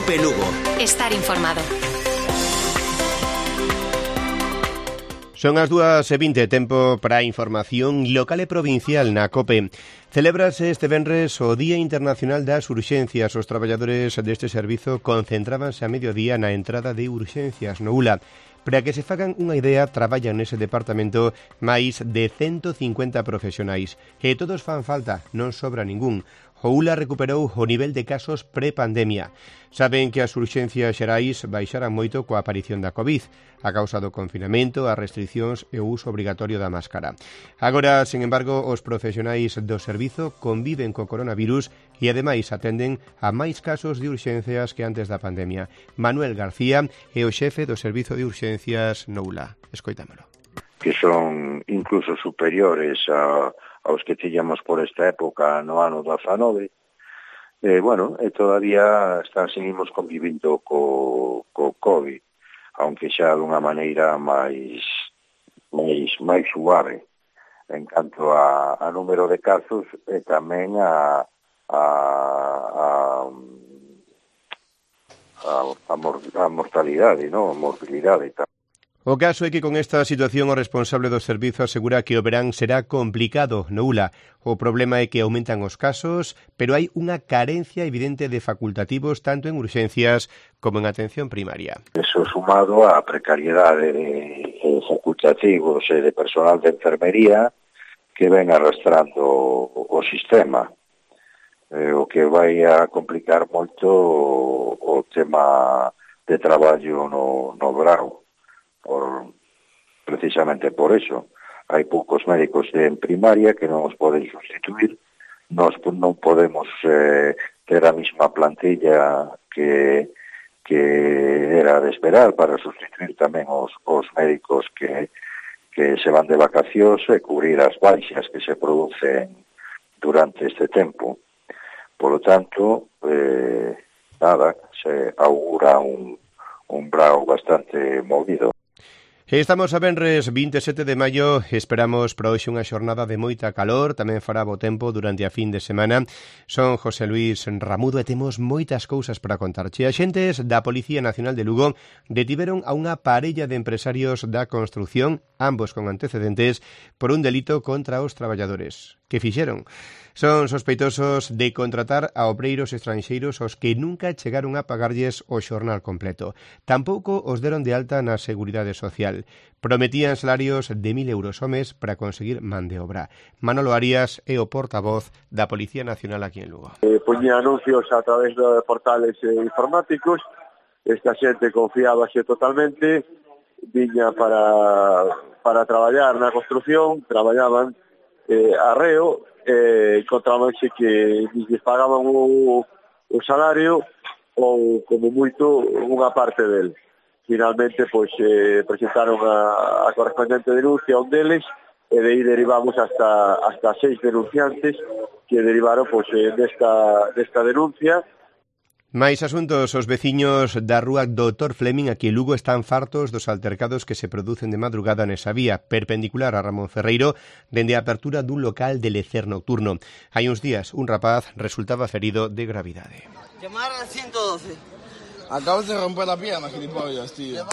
COPE Lugo. Estar informado. Son as 2:20, tempo para a información local e provincial na COPE. Celébrase este venres o Día Internacional das Urxencias. Os traballadores deste servizo concentrábanse a mediodía na entrada de urxencias no ULA. Para que se fagan unha idea, traballan nese departamento máis de 150 profesionais. E todos fan falta, non sobra ningún. O ULA recuperou o nivel de casos pre-pandemia. Saben que as urxencias xerais baixaran moito coa aparición da COVID, a causa do confinamento, as restriccións e o uso obrigatorio da máscara. Agora, sen embargo, os profesionais do servizo conviven co coronavirus e, ademais, atenden a máis casos de urxencias que antes da pandemia. Manuel García é o xefe do servizo de urxencias no ULA. Escoitámolo. Que son incluso superiores aos que tiñamos por esta época no ano 19. Todavía seguimos convivindo co COVID, aunque xa dunha maneira máis suave en canto a número de casos e tamén a mortalidade, non? A morbilidade e tal. O caso é que con esta situación o responsable do servizo asegura que o verán será complicado no ULA. O problema é que aumentan os casos, pero hai unha carencia evidente de facultativos tanto en urxencias como en atención primaria. Eso sumado á precariedade de facultativos e de personal de enfermería que ven arrastrando o sistema, o que vai a complicar moito o tema de traballo no grau. Precisamente por eso hai poucos médicos en primaria que non os poden sustituir. Nós non podemos ter a mesma plantilla que era de esperar para sustituir tamén os médicos que se van de vacacións e cubrir as baixas que se producen durante este tempo. Por lo tanto, se augura un brao bastante movido. Estamos a venres 27 de maio, esperamos para hoxe unha xornada de moita calor, tamén fará bo tempo durante a fin de semana. Son José Luis Ramudo e temos moitas cousas para contarche. Axentes da Policía Nacional de Lugo detiveron a unha parella de empresarios da construción, ambos con antecedentes, por un delito contra os traballadores. Que fixeron? Son sospeitosos de contratar a obreiros estranxeiros aos que nunca chegaron a pagarlles o xornal completo. Tampouco os deron de alta na Seguridade Social. Prometían salarios de 1.000 euros ao mes para conseguir man de obra. Manolo Arias é o portavoz da Policía Nacional aquí en Lugo. Poñía anuncios a través de portales informáticos. Esta xente confiábase totalmente. Viña para traballar na construción, traballaban arreo, encontrábanse que lles pagaban o salario ou como moito unha parte del. Finalmente presentaron a correspondente denuncia a un deles e de aí derivamos hasta 6 denunciantes que derivaron desta denuncia. Mais asuntos, os veciños da rúa Dr. Fleming aquí en Lugo están fartos dos altercados que se producen de madrugada nesa vía, perpendicular a Ramón Ferreiro, dende a apertura dun local de lecer nocturno. Hai uns días, un rapaz resultaba ferido de gravidade. Llamar al 112. Acabas de romper la pierna, gilipollas, tío.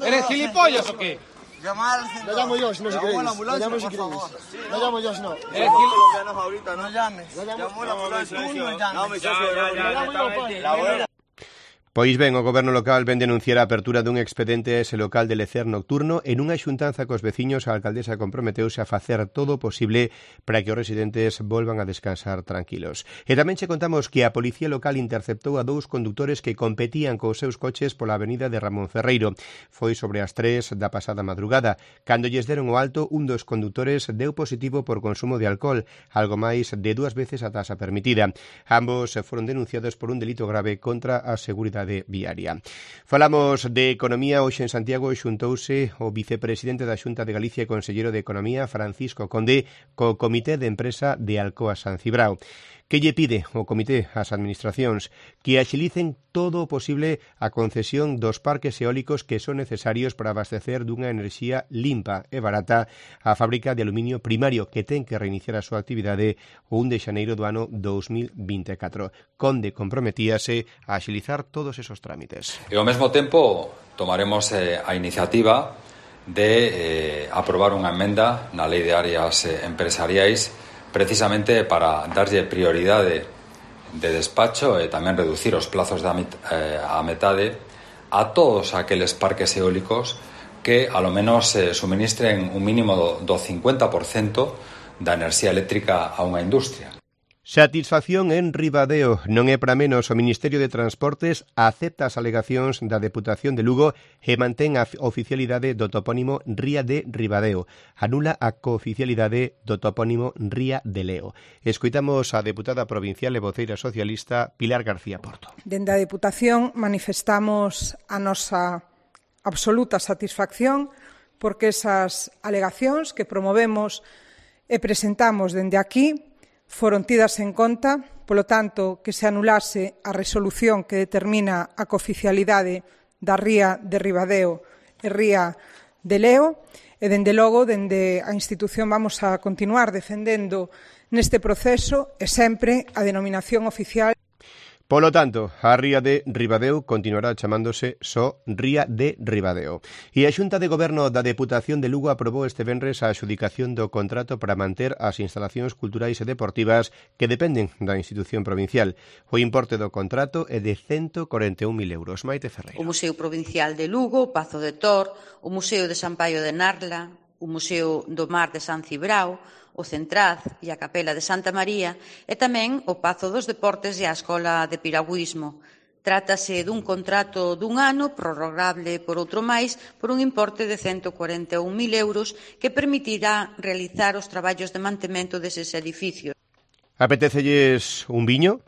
¿Eres gilipollas o qué? Llamar al 112. Lo llamo yo, si no si queréis. Lo llamo si queréis. Lo llamo yo, si no. No llames. Llamó la ambulancia. Tú no llames. No, mi socio, lo llamo yo, pues. Pois ben, o Goberno local ven denunciar a apertura dun expediente a ese local de lecer nocturno. En unha xuntanza cos veciños, a alcaldesa comprometeuse a facer todo o posible para que os residentes volvan a descansar tranquilos. E tamén che contamos que a Policía Local interceptou a 2 condutores que competían cos seus coches pola avenida de Ramón Ferreiro. Foi sobre as 3 da pasada madrugada. Cando lles deron o alto, un dos condutores deu positivo por consumo de alcohol, algo máis de 2 veces a tasa permitida. Ambos foron denunciados por un delito grave contra a seguridade viaria. Falamos de economía. Hoxe en Santiago xuntouse o vicepresidente da Xunta de Galicia e conselleiro de Economía, Francisco Conde, co Comité de Empresa de Alcoa San Cibrao. Que lle pide o comité ás administracións? Que axilicen todo o posible a concesión dos parques eólicos que son necesarios para abastecer dunha enerxía limpa e barata a fábrica de aluminio primario que ten que reiniciar a súa actividade o 1 de xaneiro do ano 2024. Conde comprometíase a axilizar todos esos trámites. E ao mesmo tempo tomaremos a iniciativa de aprobar unha emenda na Lei de Áreas Empresariais precisamente para darlle prioridade de despacho e tamén reducir os plazos a metade a todos aqueles parques eólicos que a lo menos suministren un mínimo do 50% da enerxía eléctrica a unha industria. Satisfacción en Ribadeo. Non é para menos, o Ministerio de Transportes acepta as alegacións da Deputación de Lugo e mantén a oficialidade do topónimo Ría de Ribadeo. Anula a cooficialidade do topónimo Ría de Leo. Escoitamos a deputada provincial e voceira socialista Pilar García Porto. Dende a Deputación manifestamos a nosa absoluta satisfacción porque esas alegacións que promovemos e presentamos dende aquí foron tidas en conta, polo tanto, que se anulase a resolución que determina a cooficialidade da Ría de Ribadeo e Ría de Leo, e, dende logo, dende a institución vamos a continuar defendendo neste proceso e sempre a denominación oficial. Polo tanto, a Ría de Ribadeo continuará chamándose só Ría de Ribadeo. E a Xunta de Goberno da Deputación de Lugo aprobou este venres a adxudicación do contrato para manter as instalacións culturais e deportivas que dependen da institución provincial. O importe do contrato é de 141.000 euros. Maite Ferreira. O Museo Provincial de Lugo, o Pazo de Tor, o Museo de San Paio de Narla, o Museo do Mar de San Cibrao, o Centraz e a Capela de Santa María e tamén o Pazo dos Deportes e a Escola de Piragüismo. Trátase dun contrato dun ano prorrogable por outro máis por un importe de 141.000 euros que permitirá realizar os traballos de mantemento deses edificios. Apetecelles un viño?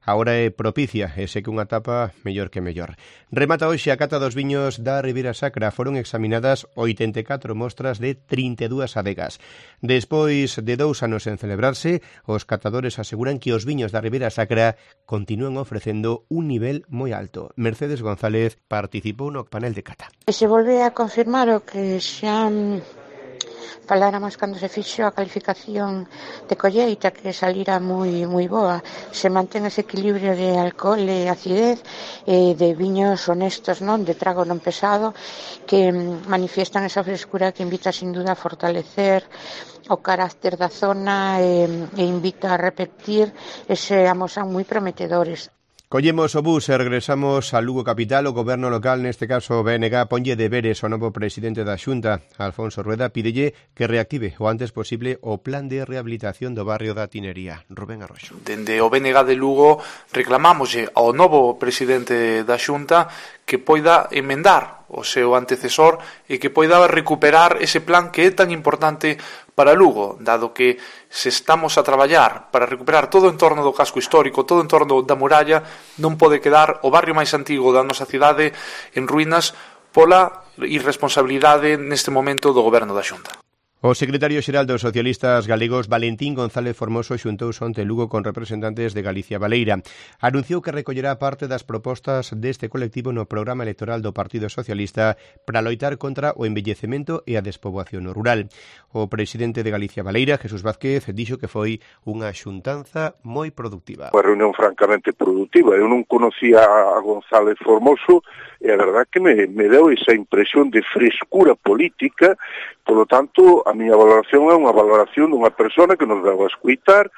Agora é propicia e sei que unha tapa mellor que mellor. Remata hoxe a cata dos viños da Ribeira Sacra. Foron examinadas 84 mostras de 32 adegas. Despois de 2 anos en celebrarse, os catadores aseguran que os viños da Ribeira Sacra continúan ofrecendo un nivel moi alto. Mercedes González participou no panel de cata. Se volve a confirmar o que xa faláramos cando se fixo a calificación de colleita, que salira moi boa. Se mantén ese equilibrio de alcohol e acidez, de viños honestos, non de trago non pesado, que manifiestan esa frescura que invita sin duda a fortalecer o carácter da zona e invita a repetir ese amosan moi prometedores. Collemos o bus e regresamos a Lugo capital. O goberno local, neste caso o BNG, ponlle deberes ao novo presidente da Xunta, Alfonso Rueda, pídelle que reactive o antes posible o plan de rehabilitación do barrio da Tinería. Rubén Arroxo. Dende o BNG de Lugo reclamámoslle ao novo presidente da Xunta que poida emendar o seu antecesor e que poida recuperar ese plan que é tan importante para Lugo, dado que se estamos a traballar para recuperar todo o entorno do casco histórico, todo o entorno da muralla, non pode quedar o barrio máis antigo da nosa cidade en ruínas pola irresponsabilidade neste momento do goberno da Xunta. O secretario xeral dos socialistas galegos, Valentín González Formoso, xuntouse onte Lugo con representantes de Galicia Baleira. Anunciou que recollerá parte das propostas deste colectivo no programa electoral do Partido Socialista para loitar contra o envellecemento e a despoboación rural. O presidente de Galicia Baleira, Jesús Vázquez, dixo que foi unha xuntanza moi productiva. Unha reunión francamente productiva. Eu non conocía a González Formoso e a verdad que me deu esa impresión de frescura política. Polo tanto, a miña valoración é unha valoración dunha persona que nos deu a escuitar.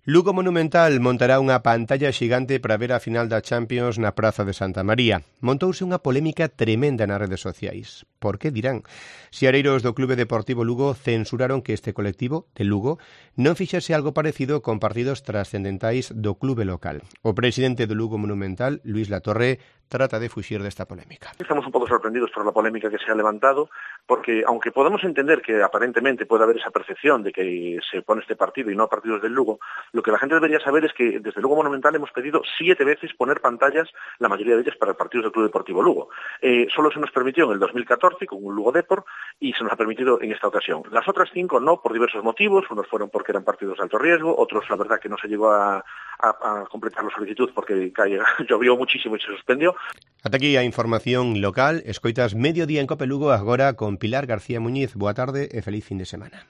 Lugo Monumental montará unha pantalla xigante para ver a final da Champions na Praza de Santa María. Montouse unha polémica tremenda nas redes sociais. Por que dirán? Seareiros do Clube Deportivo Lugo censuraron que este colectivo de Lugo non fixese algo parecido con partidos trascendentais do clube local. O presidente do Lugo Monumental, Luis Latorre, trata de fuxir desta polémica. Estamos un pouco sorprendidos por la polémica que se ha levantado, porque aunque podemos entender que aparentemente puede haber esa percepción de que se pone este partido y no a partidos del Lugo, Lo que la gente debería saber es que desde Lugo Monumental hemos pedido 7 veces poner pantallas, la mayoría de ellas para partidos del Club Deportivo Lugo. Solo se nos permitió en el 2014 con un Lugo Depor y se nos ha permitido en esta ocasión. Las otras 5 no, por diversos motivos. Unos fueron porque eran partidos de alto riesgo, otros la verdad que no se llegó a completar la solicitud porque llovió muchísimo y se suspendió. Ata aquí a información local. Escoitas Mediodía en Cope Lugo agora con Pilar García Muñiz. Boa tarde e feliz fin de semana.